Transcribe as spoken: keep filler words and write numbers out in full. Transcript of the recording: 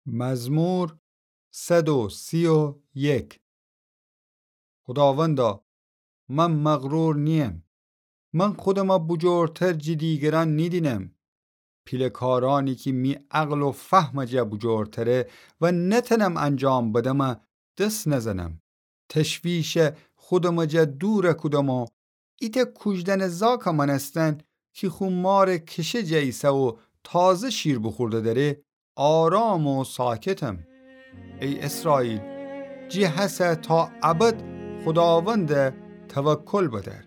مزمور صد و سی و یک. خوداوندا، من مغرور نییم. من خودمه بوجورتر جی دیگران نیدینم. پیله کارانی کی می عقل و فهمه جا بوجورتره و نتنم انجام بدمه دس نزنم. تشویش خودمه جا دور کودم و ایته کوجدن زاکه مانستن کی خو ماره کشه جا ایسه و تازه شیر بوخورده دره، آرام و ساکتم. ای اسرائیل، جی هسه تا ابد خوداوند توکل بدار.